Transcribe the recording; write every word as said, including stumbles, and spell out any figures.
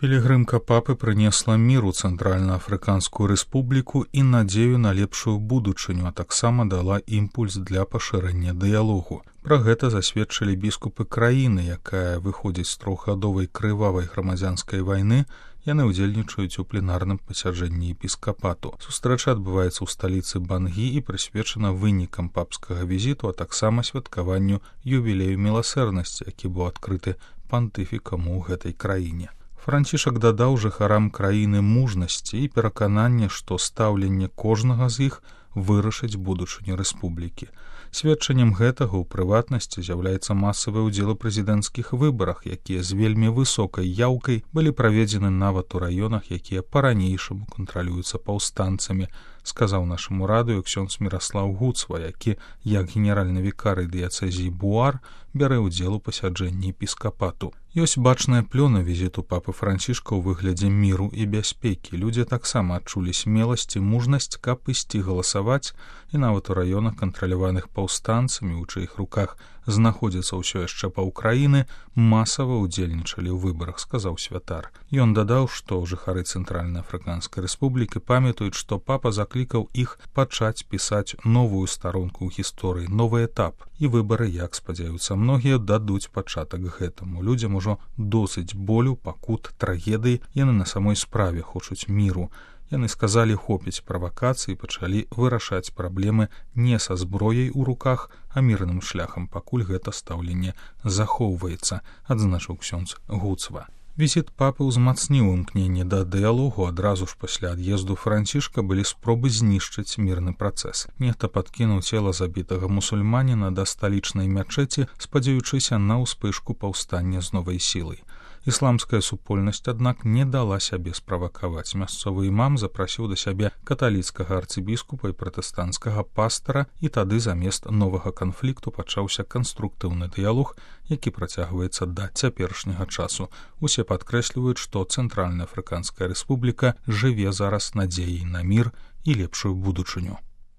Пілігрымка папы прынесла мір у Цэнтральна-Афрыканскую рэспубліку і надзею на лепшую будучыню, а таксама дала імпульс для пашырэння дыялогу. Пра гэта засведчылі біскупы краіны, якая выходзіць з трохгадовай крывавай грамадзянскай вайны. Яны ўдзельнічаюць у пленарным пасяджэнні епіскапату. Сустрэча адбываецца ў сталіцы Бангі і прысвечана вынікам папскага візіту, а таксама святкаванню юбілею міласэрнасці, які быў адкрыты пантыфікам у гэтай краіне. Францішак дадаў жыхарам краіны мужнасці і перакананне, што стаўленне кожнага з іх вырашыць будучыню рэспублікі. Сведчаннем гэтага ў прыватнасці з'яўляецца масавы ўдзел у прэзідэнцкіх выбарах, якія з вельмі высокай яўкай былі праведзены нават у раёнах, якія па-ранейшаму кантралююцца паўстанцамі, сказаў нашаму радыё ксёндз Міраслаў Гуцва, які, як генеральны вікарый дыяцэзіі Буар, бярэ ўдзел у пасяджэнні епіскапату. Ёсць бачная плёна візіту папы Францішка ў выглядзе міру і бяспекі. Людзі таксама адчулі смеласць і мужнасць, каб ісці галасаваць, і нават у раёнах, кантраляваных паўстанцамі, у чыіх руках знаходзіцца ўсё яшчэ паўкраіны, масава ўдзельнічалі ў выбарах, сказаў святар. Ён дадаў, што жыхары Цэнтральна-Афрыканскай рэспублікі памятаюць, што папа заклікаў іх пачаць пісаць новую старонку ў гісторыі, новы этап, і выбары, як спадзяюцца многія, дадуць пачатак гэтаму. Людзям ужо досыць болю, пакут, трагедыі, яны на самой справе хочуць міру. Яны сказалі, хопіць правакацыі, пачалі вырашаць праблемы не са зброяй у руках, а мірным шляхам, пакуль гэта стаўленне захоўваецца, адзначыў ксёндз Гуцва. Візіт папы ўзмацніў імкненне да дыялогу. Адразу ж пасля ад'езду Францішка былі спробы знішчыць мірны працэс. Нехта падкінуў цела забітага мусульманіна да сталічнай мячэці, спадзяючыся на ўспышку паўстання з новай сілай. Ісламская супольнасць, аднак, не дала сябе справакаваць. Мясцовы імам запрасіў да сябе каталіцкага арцыбіскупа і пратэстанцкага пастара, і тады замест новага канфлікту пачаўся канструктыўны дыялог, які працягваецца да цяперашняга часу. Усе падкрэсліваюць, што Цэнтральна-Афрыканская рэспубліка жыве зараз надзеяй на мір і лепшую будучыню.